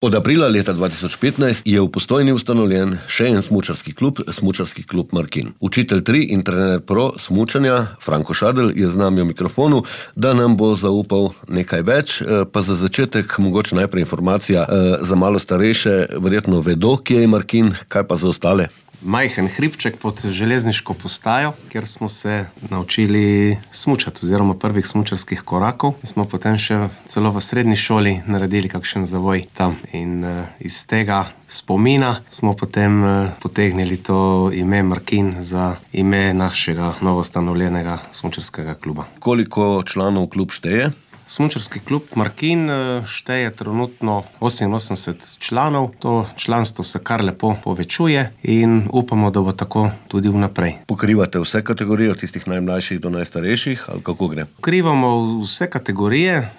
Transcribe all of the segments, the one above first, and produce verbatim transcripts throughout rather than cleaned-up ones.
Od aprila leta dva tisoč petnajst je v Postojni ustanovljen še en smučarski klub, Smučarski klub Markin. Učitelj tri in trener pro smučanja Franko Šadl je z nami v mikrofonu, da nam bo zaupal nekaj več, pa za začetek mogoče najprej informacija za malo starejše, verjetno vedo, kje je Markin, kaj pa za ostale? Majhen hribček pod železniško postajo, kjer smo se naučili smučati oziroma prvih smučarskih korakov. In smo potem še celo v srednji šoli naredili kakšen zavoj tam. In uh, iz tega spomina smo potem uh, potegnili to ime Markin za ime našega novostanovljenega smučarskega kluba. Koliko članov klub šteje? Smučarski klub Markin šteje trenutno oseminosemdeset članov. To članstvo se kar lepo povečuje in upamo, da bo tako tudi vnaprej. Pokrivate vse kategorije, od tistih najmlajših do najstarejših, ali kako gre? Pokrivamo vse kategorije,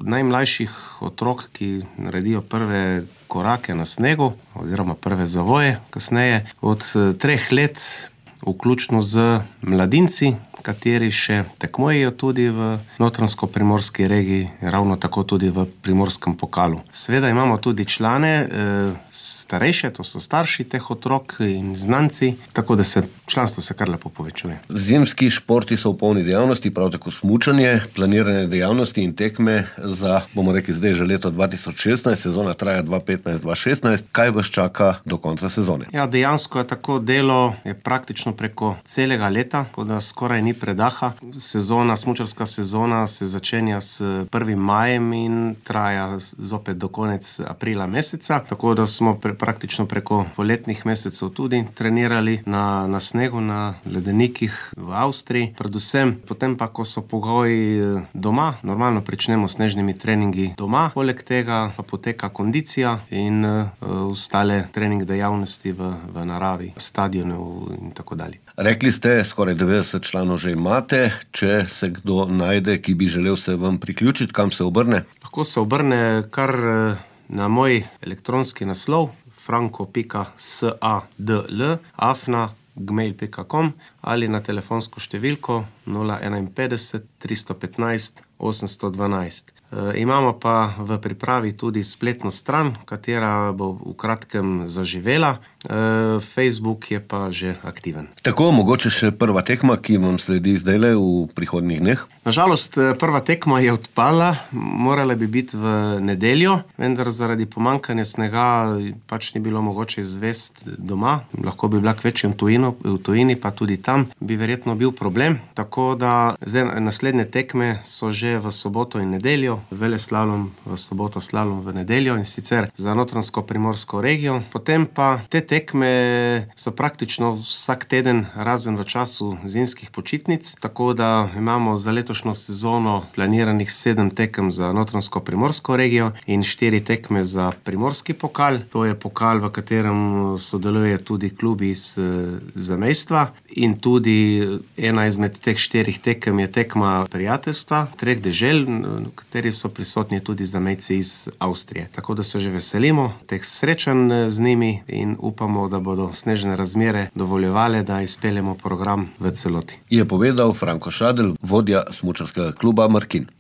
najmlajših otrok, ki naredijo prve korake na snegu oziroma prve zavoje kasneje, od treh let, vključno z mladinci, kateri še tekmujejo tudi v Notranjsko-primorski regiji, ravno tako tudi v primorskem pokalu. Seveda imamo tudi člane e, starejše, to so starši teh otrok in znanci, tako da se članstvo se kar lepo povečuje. Zimski športi so v polni dejavnosti, prav tako smučanje, planirane dejavnosti in tekme za, bomo rekli zdaj že leto dva tisoč šestnajst, sezona traja dva tisoč petnajst dva tisoč šestnajst. Kaj vas čaka do konca sezone? Ja, dejansko je tako, delo je praktično preko celega leta, tako da skoraj ni predaha. Sezona, smučarska sezona se začenja s prvim majem in traja zopet do konec aprila meseca, tako da smo pre, praktično preko poletnih mesecev tudi trenirali na, na snegu, na ledenikih v Avstriji. Predvsem potem pa, ko so pogoji doma, normalno pričnemo s snežnimi treningi doma, poleg tega pa poteka kondicija in uh, ostale trening dejavnosti v, v naravi, stadionov in tako dalje. Rekli ste, skoraj devetdeset članov že imate, če se kdo najde, ki bi želel se vam priključiti, kam se obrne? Lahko se obrne kar na moj elektronski naslov franko pika sadl afna gmail pika com ali na telefonsko številko nula enainpetdeset tristo petnajst osemsto dvanajst. E, imamo pa v pripravi tudi spletno stran, katera bo v kratkem zaživela. E, Facebook je pa že aktiven. Tako, mogoče še prva tekma, ki vam sledi zdajle v prihodnjih dneh? Nažalost, prva tekma je odpadla, morala bi biti v nedeljo, vendar zaradi pomankanja snega pač ni bilo mogoče izvesti doma. Lahko bi bila kvečjem tujino, v tujini, pa tudi tam bi verjetno bil problem. Tako da zdaj naslednje tekme so že v soboto in nedeljo, veleslalom v soboto, slalom v nedeljo, in sicer za Notranjsko-primorsko regijo. Potem pa te tekme so praktično vsak teden, razen v času zimskih počitnic, tako da imamo za letošnjo sezono planiranih sedem tekem za Notranjsko-primorsko regijo in štiri tekme za primorski pokal. To je pokal, v katerem sodeluje tudi klubi iz zamejstva, in tudi ena izmed teh štirih tekem je tekma prijateljstva treh dežel, v kateri so prisotni tudi zamejci iz Avstrije. Tako da se že veselimo teh srečanj z njimi in upamo, da bodo snežne razmere dovoljevale, da izpeljemo program v celoti. Je povedal Franko Šadl, vodja smučarskega kluba Markin.